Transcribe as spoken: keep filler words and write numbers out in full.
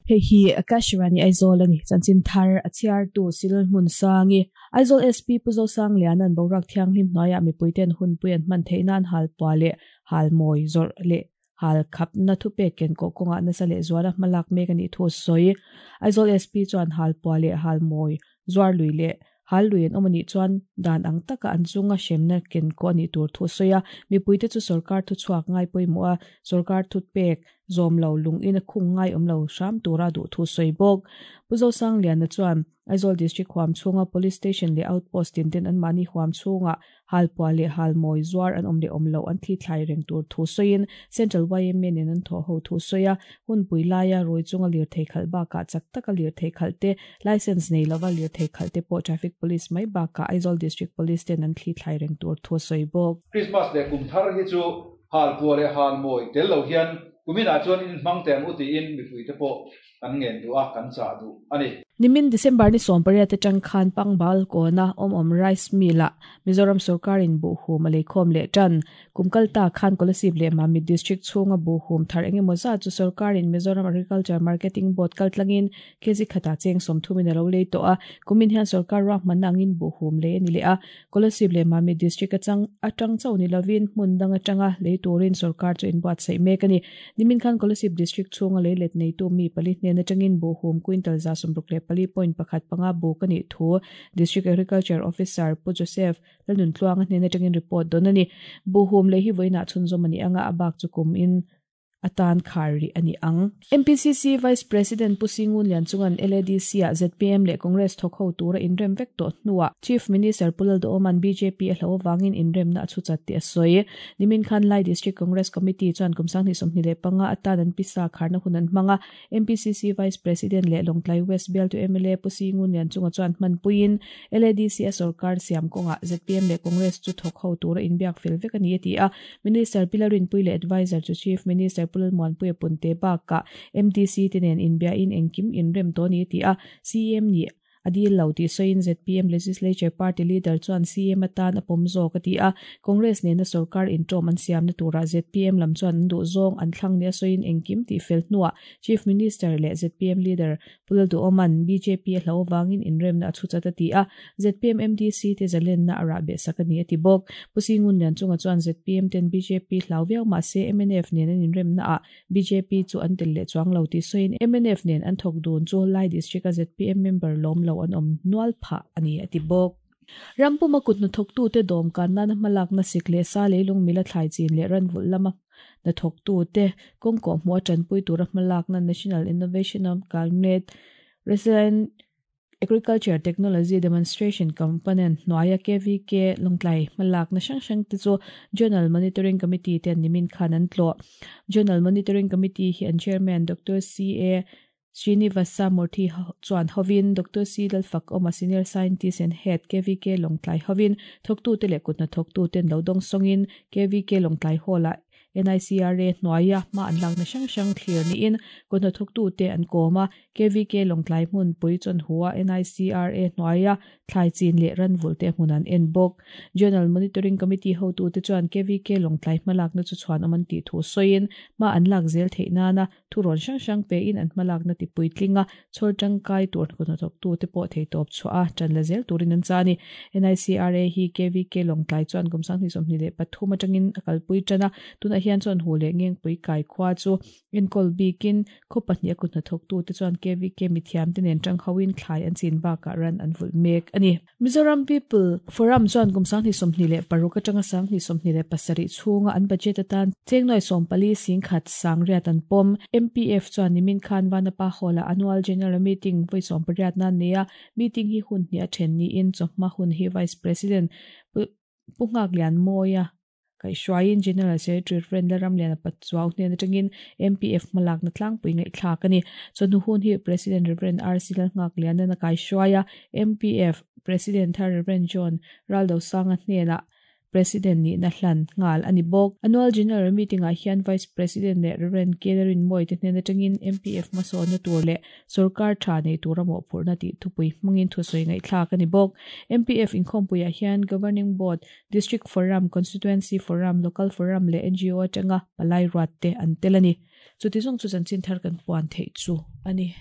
Hei hi Akashvani Aizawl ani chanchin thar a chhiar tu Silal hmun sangi Aizawl S P Pu Zosangliana'n boruak thianghlim hnuaiah mipuiten hunpui an hman theih nan halpuah leh halmawi zawrh leh hal khapna thupek ken kawh kawngah nasa leh zuala hmalak mek anih thu a sawi. Aizawl S P chuan halpuah leh halmawi zuar lui leh hal lui an awm anih chuan dan ang taka an chunga hremna ken kawh anih tur thu a sawi a. Mipuite chu sorkar thuchhuak ngai pawimawh a, sorkar thupek zawm lo lung in a khung ngai awm lo hram tura duh thu a sawi bawk. Pu Zosangliana chuan Aizawl District huam chhunga Police Station leh Outpost tin ten anmahni huam chhungah halpuah leh halmawi zuar an awm leh awm loh an thli thlai reng tur thu sawiin Central Y M A nen an thawh ho thu sawi a. Hunpui laia rui chunga lirthei khalh bakah chak taka lirthei khalh te, license nei lova lirthei khalh te pawh Traffic Police mai bakah Aizawl District Police ten an thli thlai reng tur thu a sawi bawk. Christmas leh kum thar hi chu halpuah leh halmawi tel lo hian kuminah chuan in hmang teh ang u tiin mipuite pawh kan ngen duh a, kan chah duh a ni. Nimin December ni sawm pariat atang khan Pangbal kawna awm awm Rice Mill ah Mizoram sorkarin buhhum a leikhawm leh tan. Kum kal ta khan Kolasib leh Mamit District chhunga buhhum thar engemaw zat chu sorkarin Mizoram Agriculture Marketing Board kaltlangin kg khatah cheng sawmthumin a lo lei tawh a. Kumin hian sorkar ruahmanna angin buhhum lei a ni leh a. Kolasib leh Mamit District atang atang chauh ni lovin hmun dang atanga lei turin sorkar chu inbuatsaih mek a ni. Nimin khan Kolasib District chhunga lei let neitu mi pali hnen atangin buhhum quintal za sawmruk leh pali point pakhat panga buk anih thu District Agriculture Officer Pu Joseph Lalnuntluanga hnen atangin report dawn a ni. Buhhum lei hi vawiinah chhunzawm a ni anga, a bak chu kum in atan khar rih a ni ang. M P C C Vice President Pu Singun Lianchunga'n L A D C ah Z P M leh Congress thawk ho tura inrem vek tawh hnuah Chief Minister Pu Lalduhoma'n B J P a hlo avangin inremna a chhuchat tih a sawi. Nimin khan Lai District Congress Committee chuan kum sanghnih sawmhnih leh panga atan an pisa kharna hun an hmang a. M P C C Vice President leh Lawngtlai West bialtu M L A Pu Singun Lianchunga chuan hmanpuiin L A D C a sorkar siam kawngah Z P M leh Congress chu thawk ho tura inbiak fel vek a ni a ti a. Minister Pi Lalrinpuii leh Advisor chu Chief Minister Pu Lalmuanpuia Punte bakah M D C te nen inbiain engkim inrem tawh a ni a ti a. C M nih a dil lo tih sawiin Z P M Legislature Party Leader chuan C M atan a pawm zawk a ti a. Congress nena sorkar intawm an siamna turah Z P M lam chuan an duh zawng an thlang nia sawiin engkim tih fel hnuah Chief Minister leh Z P M Leader Pu Lalduhoma'n B J P a hlo avangin inremna a chhuchat a ti a. Z P M M D C te zalenna a rah beh sak a ni a ti bawk. Pu Singun Lianchunga chuan Z P M ten B J P hlau viau mahse M N F nen an inremna ah B J P chu an tel leh chuang lo tih sawiin M N F nen an thawk dun chu Lai District a Z P M member lawm lo an awm nual phah a ni a ti bawk. Rampuma kut hnathawktute dawm kan nana hmalakna sik leh sa leilung mila thlai chin leh ranvulh lama hnathawktute kawng kawhhmuh a tanpui tura hmalakna National Innovation of Climate Resilient Agriculture Technology Demonstration Component hnuaia K V K Lawngtlai hmalakna hrang hrang te chu Zonal Monitoring Committee ten nimin khan an tlawh. Zonal Monitoring Committee hi an Chairman Doctor C A Srinivasa Murthy chuan hovin Doctor C Lalfak awma, Senior Scientist and Head, K V K Lawngtlai hovin thawktute leh kut hnathawktuten lo dawng sawngin K V K Lawngtlai Hall ah N I C R A hnuaia hma an lakna hrang hrang thlir niin kut hnathawktute an kawm a. K V K Lawngtlai hmun pui chawn hua N I C R A hnuaia thlai chin leh ranvulh te hmun an en bawk. Zonal Monitoring Committee hotute chuan K V K Lawngtlai hmalakna chu chhuan awm an tih thu sawiin hma an lak zel theih nana thu rawn hrang hrang pe in an hmalakna ti puitlinga chhawr tangkai tur kut hnathawktute pawh theitawp chhuah a tan la zel turin an cha ni. N I C R A hi K V K Lawngtlai chuan kum sanghnih sawmhnih leh pathum atangin a kalpui tan a. Tunah hian chuan hu leh ngengpui kai khua chu enkawl bikin khaw pahnih a kut hnathawktute chuan K V K mithiam te nen tang hoin thlai an chin bakah ran an vulh mek ani. Mizoram People Forum chuan kum sanghnih sawmhnih leh paruk atanga sanghnih sawmhnih leh pasarih chhunga an budget atan cheng nuai sawm pali singkhat sangriat an pawm. M P F chuan nimin khan Vanapa Hall ah annual general meeting voi sawm pariat na nia. Meeting hi hun hnih a then niin chawhma hun hi Vice President Pu Nghaklianmawia kaihhruaiin General Secretary Reverend Lalramliana Pachuau hnen atangin M P F hmalakna tlangpui ngaihthlak a ni. Chawhnu hun hi President Reverend R C Lalnghakliana na kaihhruaia M P F President thar Reverend John Raldosanga hnenah President nihna hlan nghal a ni bawk. Annual General Meeting ah hian Vice President leh Rev. Kelerin Mawi te hnen atangin MPF hmasawnna tur leh sawrkar tha nei tura mawhphurhna tih thupui hmangin thusawi ngaihthlak a ni bawk. MPF inkhawmpuiah hian Governing Board, District Forum, Constituency Forum, Local Forum leh NGO atanga palai ruat te an tel a ni. Chuti zawng chu chanchin thar kan puan theih chu a ni.